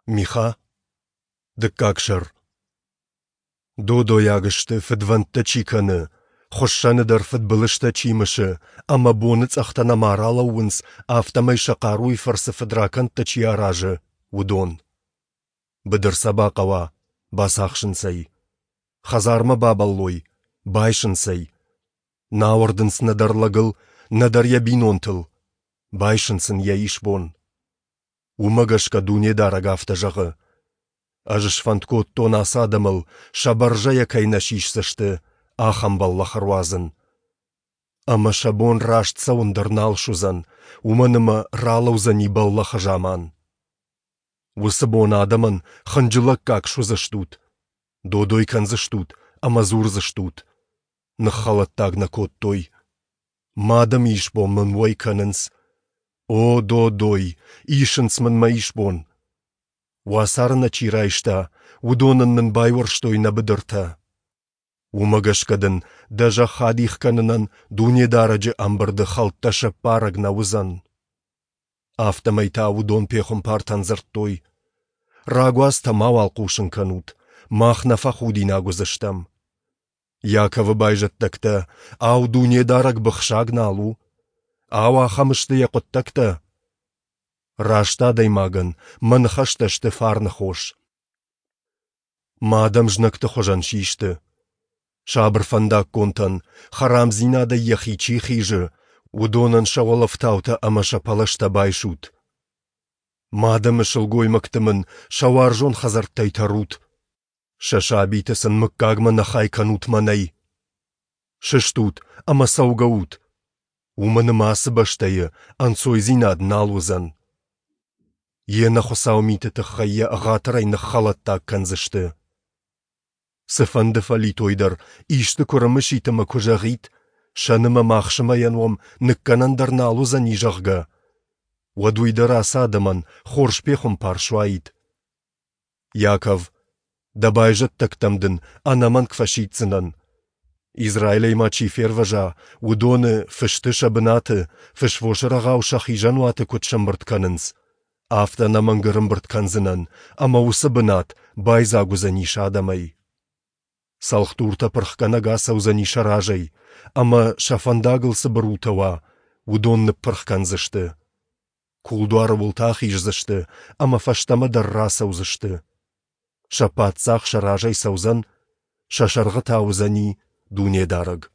Миха, дыккаг сӕр. Додойаг сты, фыдвӕндтӕ чи кӕны, хуыссӕны дӕр фыдбылызтӕ чи мысы ӕмӕ боныцъӕхтӕ нӕма ралӕууынц, афтӕмӕй сӕ хъаруйы фӕрцы фыдракӕндтӕ чи аразы, уыдон. Быдыр сӕ бахъӕуа, бацахсынц ӕй. Хӕдзармӕ бабӕллой, байсынц ӕй. Нӕ ауӕрдынц нӕдӕр лӕгыл, нӕдӕр йӕ бинонтыл. Байсынц ын йӕ исбон. Уымӕ гӕсгӕ Дунедарӕг афтӕ зӕгъы: Ӕз сфӕнд кодтон ацы адӕмыл, сӕ бӕрзӕйӕ кӕй нӕ сисдзысты, ахӕм бӕллӕх ӕруадзын. Ӕмӕ сӕ бон раст цӕуын дӕр нал суыдзӕн, уымӕн ӕмӕ ралӕудзӕни бӕллӕхы заман. Уыцы бон адӕмӕн хынджылӕггаг суыдзыстут, додой кӕндзыстут ӕмӕ дзурдзыстут: Ныххӕлӕттаг нӕ кодтой. Мӕ адӕмы исбон мын уӕй кӕнынц. О, додой, исынц мын мӕ исбон. Уацары нӕ чи райста, уыдонӕн нын байуӕрстой нӕ быдыртӕ. Уымӕ гӕсгӕ дын дӕ зӕхх адих кӕнынӕн Дунедарӕджы ӕмбырды хӕлттӕ сӕппарӕг нӕ уыдзӕн. Афтӕмӕй та уыдон пехуымпартӕн дзырдтой: Рагуацтӕ мауал хъусын кӕнут, мах нӕ фӕхудинаг уыдзыстӕм. Иаковы байзӕддӕгтӕ, ау, Дунедарӕг быхсаг нал у? Ау, ахӕм сты йӕ хъуыддӕгтӕ? Раст адӕймагӕн мӕ ныхӕстӕ сты фарны хос. Мӕ адӕм знӕгты хуызӕн систы. Сабыр фӕндаггонтӕн, хӕрамдзинадӕй йӕхи чи хизы, уыдонӕн сӕ уӕлӕфтаутӕ ӕмӕ сӕ пӕлӕзтӕ байсут. Мӕ адӕмы сылгоймӕгты мын сӕ уарзон хӕдзӕрттӕй тӕрут. Сӕ сабиты сын мыггагмӕ нӕ хай кӕнут мӕнӕй. Сыстут ӕмӕ цӕугӕ ут, уымӕн ӕмӕ ацы бӕстӕйы ӕнцойдзинад нал уыдзӕн. Йе нӕхуыцау миты тыххӕй йӕ ӕгъатырӕй ныххӕлӕттаг кӕндзысты. Цыфӕнды фӕлитой дӕр исты куы рымысит ӕмӕ куы зӕгъит, сӕн ӕмӕ махсымӕйӕн уӕм ныккӕнӕн дӕр нал уыдзӕни, зӕгъгӕ, уӕд уый дӕр ацы адӕмӕн хорз пехуымпар суаид. Иаков, дӕ байзӕддӕгтӕм дын ӕнӕмӕнг фӕсиддзынӕн. Израилӕй ма чи фервӕза, уыдоны, фысты сӕ бынаты, фысвосы рӕгъау сӕ хизӕнуаты куыд сӕмбырд кӕнынц, афтӕ ӕнӕмӕнг ӕрӕмбырд кӕндзынӕн, ӕмӕ уыцы бынат байдзаг уыдзӕнис адӕмӕй. Цӕлхдуртӕ пырхгӕнӕг ацӕудзӕни сӕ разӕй, ӕмӕ сӕ фӕндагыл цы бырутӕ уа, уыдон ныппырх кӕндзысты. Кулдуары уылты ахиздзысты ӕмӕ фӕстӕмӕ дӕр рацӕудзысты. Сӕ паддзах сӕ разӕй цӕудзӕн, сӕ сӕргъы та уыдзӕни Дунедарӕг.